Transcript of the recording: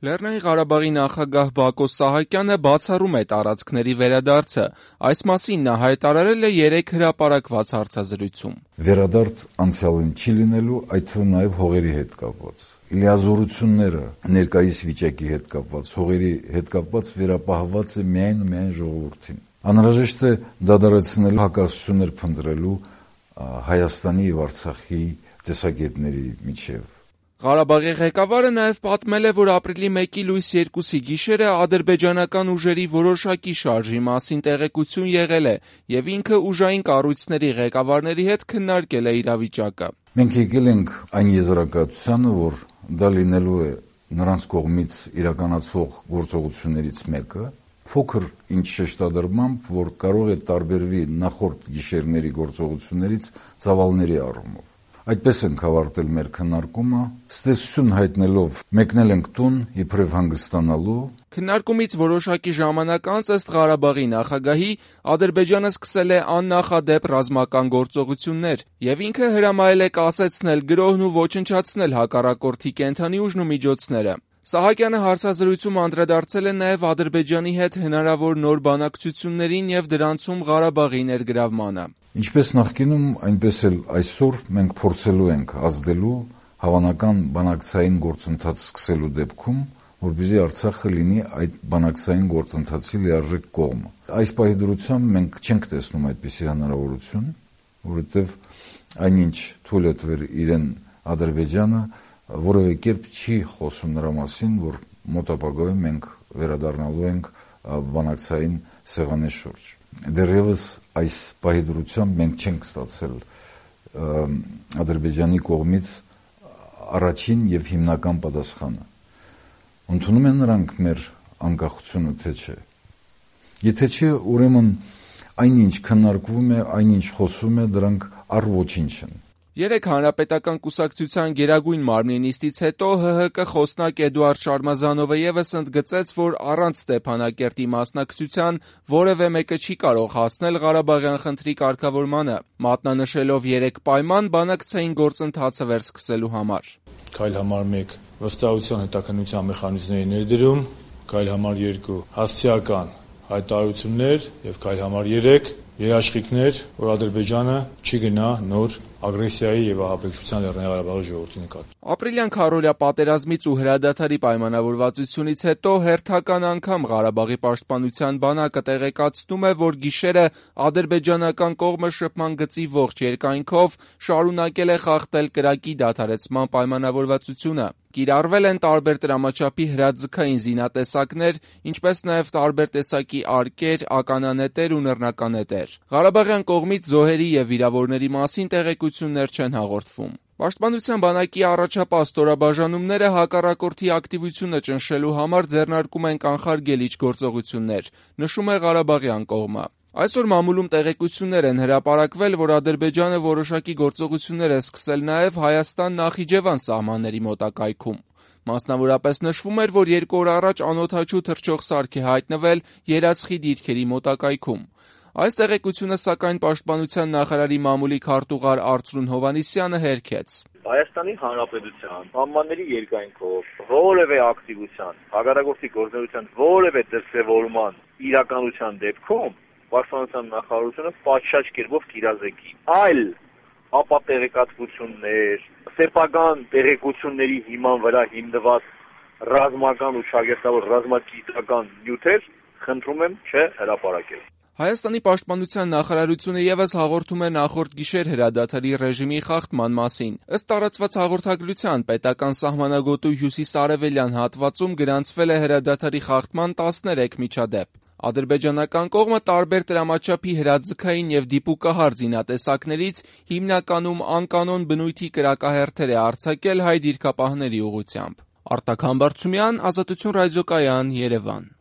Լեռնային Ղարաբաղի նախագահ Բակո Սահակյանը բացառում է տարածքների վերադարձը։ Այս մասին նա հայտարարել է 3 հրապարակված հարցազրույցում։ Վերադարձ անցյալին չի լինելու, այդ թվում նաև հողերի հետ կապված։ Լիազորությունները ներկայիս վիճակի հետ կապված, հողերի հետ կապված վերապահված է միայն ժողովրդին։ Անհրաժեշտ է դադարեցնել հակասություններ փնտրելու Հայաստանի եւ Արցախի տեսակետների միջև։ Ղարաբաղի ղեկավարը նաև պատմել է, որ ապրիլի 1-ի լույս 2-ի գիշերը ադրբեջանական ուժերի որոշակի շարժի մասին տեղեկություն եղել է եւ ինքը ուժային կառույցների ղեկավարների հետ քննարկել է իրավիճակը։ Մենք եկել ենք այն եզրակացությանը, որ դա լինելու է նրանց կողմից իրականացվող գործողություններից մեկը, փոքր ինչ շեշտադրմամբ, որ կարող է տարբերվի նախորդ գիշերների գործողություններից ծավալների առումով։ Այդպես ենք ավարտել մեր քննարկումը, ստեսություն հայտնելով մեկնել ենք տուն իբրև հանգստանալու։ Քննարկումից որոշակի ժամանակ անց ըստ Ղարաբաղի նախագահի Ադրբեջանը սկսել է աննախադեպ ռազմական գործողություններ եւ ինքը հրամայել է կասեցնել գրոհն ու ոչնչացնել հակառակորդի կենդանի ուժն ու միջոցները։ Սահակյանը հարցազրույցում անդրադարձել է նաև Ադրբեջանի հետ հնարավոր նոր բանակցություններին եւ դրանցում Ղարաբաղի ներգրավմանը։ Ինչպես նախկինում, այնպես էլ այսօր մենք փորձելու ենք ազդելու հավանական բանակցային գործընթաց սկսելու դեպքում, որպեսզի Արցախը լինի այդ բանակցային գործընթացի լիարժեք կողմը։ Այս պահի դրությամբ մենք չենք տեսնում այդպիսի հնարավորություն, որովհետև այնինչ թույլ է տվել իրեն Ադրբեջանը, որևէ կերպ չի խոսում նրա մասին, որ մոտ ապագայում մենք վերադառնալու ենք բանակցային սեղանի շուրջ։ Դեռևս այս պահի դրությամբ մենք չենք ստացել Ադրբեջանի կողմից առաջին եւ հիմնական պատասխանը։ Ընդունում են նրանք մեր անկախությունը, թե չէ։ Եթե չէ, ուրեմն այնինչ քննարկվում է, այնինչ խոսում է, դրանք առ ոչինչ են։ 3 հանրապետական կուսակցության գերագույն մարմնի նիստից հետո ՀՀԿ խոսնակ Էդուարդ Շարմազանովը եւս ընդգծեց, որ առանց Ստեփանակերտի մասնակցության որևէ մեկը չի կարող հասնել Ղարաբաղյան խնդրի կարգավորմանը, մատնանշելով 3 պայման բանակցային գործընթացը վերսկսելու համար։ Քայլ համար 1 վստահության հետաքննության մեխանիզմների ներդրում, քայլ համար 2 հասցեական հայտարարություններ եւ քայլ համար 3 երաշխիքներ, որ Ադրբեջանը չի գնա նոր ագրեսիայի եւ ահաբեկչության Լեռնային Ղարաբաղի ժողովրդի նկատմամբ։ Ապրիլյան քարոզիա պատերազմից ու հրադադարի պայմանավորվածությունից հետո հերթական անգամ Ղարաբաղի պաշտպանության բանակը տեղեկացնում է, որ գիշերը ադրբեջանական կողմը շփման գծի ողջ երկայնքով շարունակել է խախտել կրակի դադարեցման պայմանավորվածությունը։ Կիրառվել են տարբեր տրամաչափի հրաձգային զինատեսակներ, ինչպես նաև տարբեր տեսակի արկեր, ականանետեր ու նռնականետեր։ Ղարաբաղյան կողմից զոհերի եւ վիրավորների մասին տեղեկություններ չեն հաղորդվում։ Պաշտպանության բանակի առաջապահ ստորաբաժանումները հակառակորդի ակտիվությունը ճնշելու համար ձեռնարկում են կանխարգելիչ գործողություններ, նշում է Ղարաբաղյան կողմը։ Այսօր մամուլում տեղեկություններ են հրապարակվել, որ Ադրբեջանը որոշակի գործողություններ է սկսել նաև Հայաստան-Նախիջևան սահմանների մոտակայքում։ Մասնավորապես նշվում էր, որ 2 օր առաջ անօդաչու թռչող սարք է հայտնվել Երացխի դիրքերի մոտակայքում։ Այս տեղեկությունը, սակայն, Պաշտպանության նախարարի մամուլի քարտուղար Արծրուն Հովհաննիսյանը հերքեց։ Հայաստանի Հանրապետության սահմանների երկայնքով որևէ ակտիվության, հակառակորդի գործունեության որևէ դրսևորման իրականության դեպքում Պաշտպանության նախարարությունը պատշաճ կերպով կիրազեկի։ Այլ ապատեղեկատվություններ, սեփական տեղեկությունների հիման վրա հիմնված ռազմական ու շագերտավոր ռազմագիտական նյութեր խնդրում եմ չհրապարակել։ Հայաստանի պաշտպանության նախարարությունը եւս հաղորդում է նախորդ գիշեր հրադադարի ռեժիմի խախտման մասին։ Ըստ տարածված հաղորդագրության, պետական սահմանագոտու հյուսիսարևելյան հատվածում գրանցվել է հրադադարի խախտման 13 միջադեպ։ Ադրբեջանական կողմը տարբեր տրամաչափի հրաձգային եւ դիպուկահար զինատեսակներից հիմնականում անկանոն բնույթի կրակահերթեր է արձակել հայ դիրքապահների ուղղությամբ։ Արտակ Համբարձումյան, Ազատություն ռադիոկայան, Երևան։